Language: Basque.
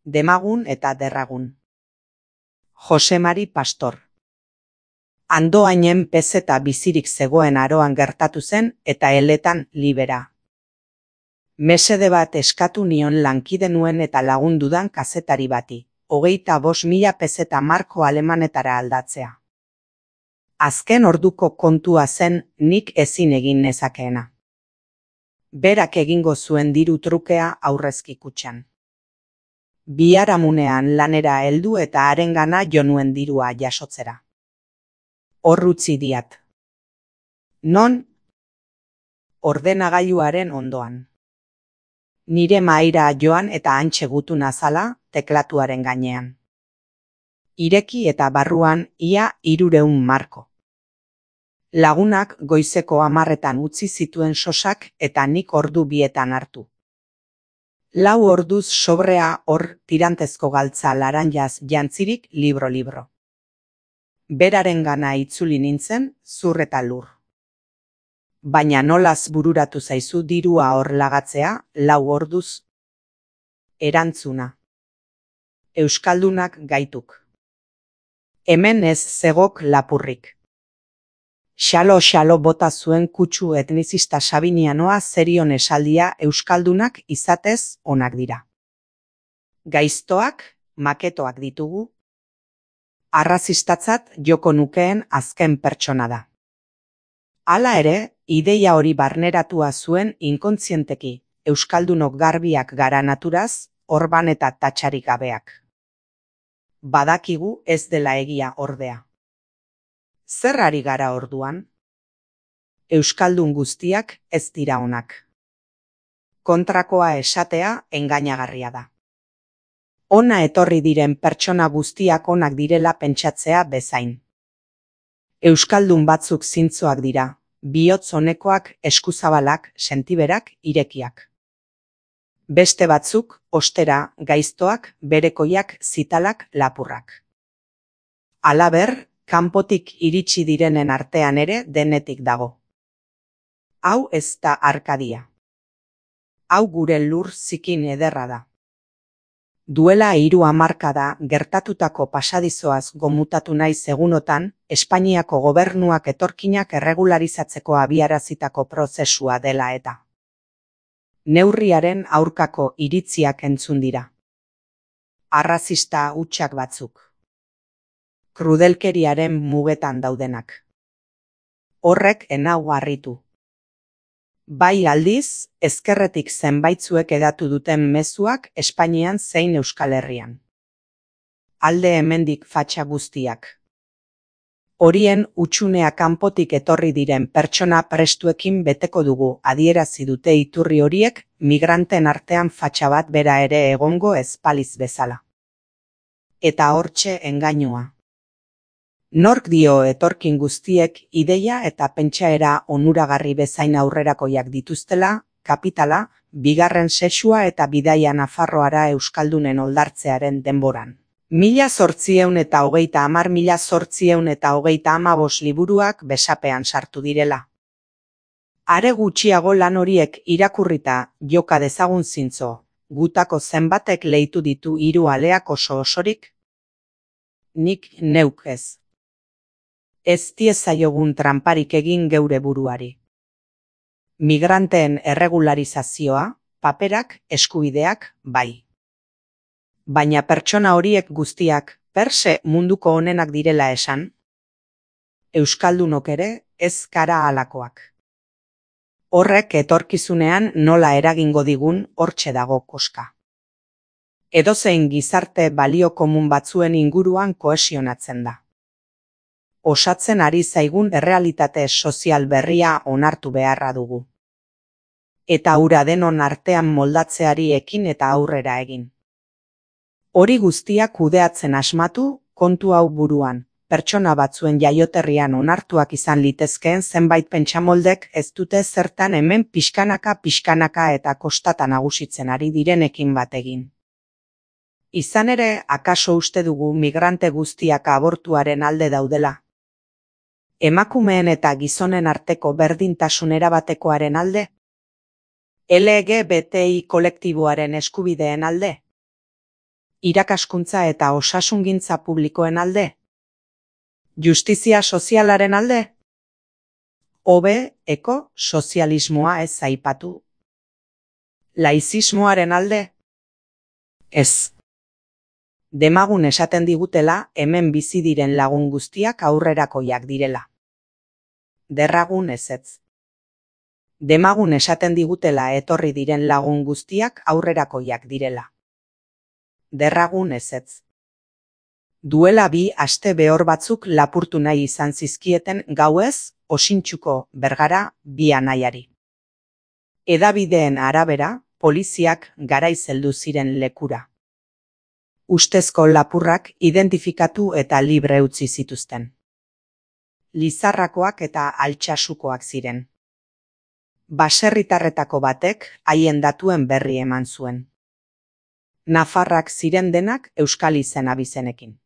Demagun eta derragun. Jose Mari Pastor. Andoainen pezeta bizirik zegoen aroan gertatu zen eta eletan libera. Mesede bat eskatu nion lankide nuen eta lagundudan kazetari bati, 25.000 pezeta marko alemanetara aldatzea. Azken orduko kontua zen nik ezin egin nezakeena. Berak egingo zuen diru trukea aurrezki kutxan. Biharamunean lanera heldu eta harengana jo nuen dirua jasotzera. Hor utzi diat. Non? Ordenagailuaren ondoan. Nire mahaira joan eta hantxe gutu nazala teklatuaren gainean. Ireki eta barruan ia 300 marko. Lagunak goizeko 10 utzi zituen sosak eta nik ordu 2 hartu. 4 orduz sobrea hor tirantezko galtza laranjaz jantzirik libro. Berarengana itzuli nintzen, zur eta lur. Baina nolaz bururatu zaizu dirua hor lagatzea, 4 orduz? Erantzuna. Euskaldunak gaituk. Hemen ez zegok lapurrik. Xalo bota zuen kutsu etnizista sabinianoa zerion esaldia euskaldunak izatez onak dira. Gaiztoak, maketoak ditugu. Arrazistatzat joko nukeen azken pertsona da. Hala ere, ideia hori barneratua zuen inkontzienteki, euskaldunok garbiak gara naturaz, orban eta tatxarik gabeak. Badakigu ez dela egia ordea. Zer ari gara orduan? Euskaldun guztiak ez dira onak. Kontrakoa esatea engainagarria da. Ona etorri diren pertsona guztiak onak direla pentsatzea bezain. Euskaldun batzuk zintzoak dira, bihotz onekoak, eskuzabalak, sentiberak, irekiak. Beste batzuk, ostera, gaiztoak, berekoiak, zitalak, lapurrak. Halaber, kanpotik iritsi direnen artean ere denetik dago. Hau ez da Arkadia. Hau gure lur zikin ederra da. Duela 3 hamarkada gertatutako pasadizoaz gomutatu naiz egunotan, Espainiako gobernuak etorkinak erregularizatzeko abiarazitako prozesua dela eta. Neurriaren aurkako iritziak entzun dira. Arrazista hutsak batzuk. Krudelkeriaren mugetan daudenak. Horrek enau harritu. Bai aldiz, ezkerretik zenbaitzuek edatu duten mezuak Espainian zein Euskal Herrian. Alde hemendik fatxa guztiak. Horien hutsunea kanpotik etorri diren pertsona prestuekin beteko dugu adierazi dute iturri horiek migranten artean fatxa bat bera ere egongo ez baliz bezala. Eta hortxe engainua. Nork dio etorkin guztiek ideia eta pentsaera onuragarri bezain aurrerakoiak dituztela, kapitala, bigarren sexua eta bidaia Nafarroara euskaldunen oldartzearen denboran. 1830 1835 liburuak besapean sartu direla. Are gutxiago lan horiek irakurrita joka dezagun zintzo, gutako zenbatek leitu ditu 3 aleak osorik? Nik neuk ez. Ez diezaiogun tranparik egin geure buruari. Migranteen erregularizazioa, paperak, eskubideak, bai. Baina pertsona horiek guztiak, perse munduko onenak direla esan? Euskaldunok ere ez gara halakoak. Horrek etorkizunean nola eragingo digun hortxe dago koska. Edozein gizarte balio komun batzuen inguruan kohesionatzen da. Osatzen ari zaigun errealitate sozial berria onartu beharra dugu. Eta hura denon artean moldatzeari ekin eta aurrera egin. Hori guztiak kudeatzen asmatu, kontu hau buruan, pertsona batzuen jaioterrian onartuak izan litezkeen zenbait pentsamoldek ez dute zertan hemen pixkanaka eta kostata nagusitzen ari direnekin bat egin. Izan ere, akaso uste dugu migrante guztiak abortuaren alde daudela. Emakumeen eta gizonen arteko berdintasun erabatekoaren alde? LGBTI kolektiboaren eskubideen alde? Irakaskuntza eta osasungintza publikoen alde? Justizia sozialaren alde? Hobe, sozialismoa ez aipatu. Laizismoaren alde? Ez. Demagun esaten digutela hemen bizi diren lagun guztiak aurrerakoiak direla. Derragun ezetz. Demagun esaten digutela etorri diren lagun guztiak aurrerakoiak direla. Derragun ezetz. Duela 2 aste behor batzuk lapurtu nahi izan zizkieten gauez Osintxuko Bergara 2 anaiari. Hedabideen arabera, poliziak garaiz heldu ziren lekura. Ustezko lapurrak identifikatu eta libre utzi zituzten. Lizarrakoak eta Altsasukoak ziren. Baserritarretako batek haien datuen berri eman zuen. Nafarrak ziren denak euskal izen abizenekin.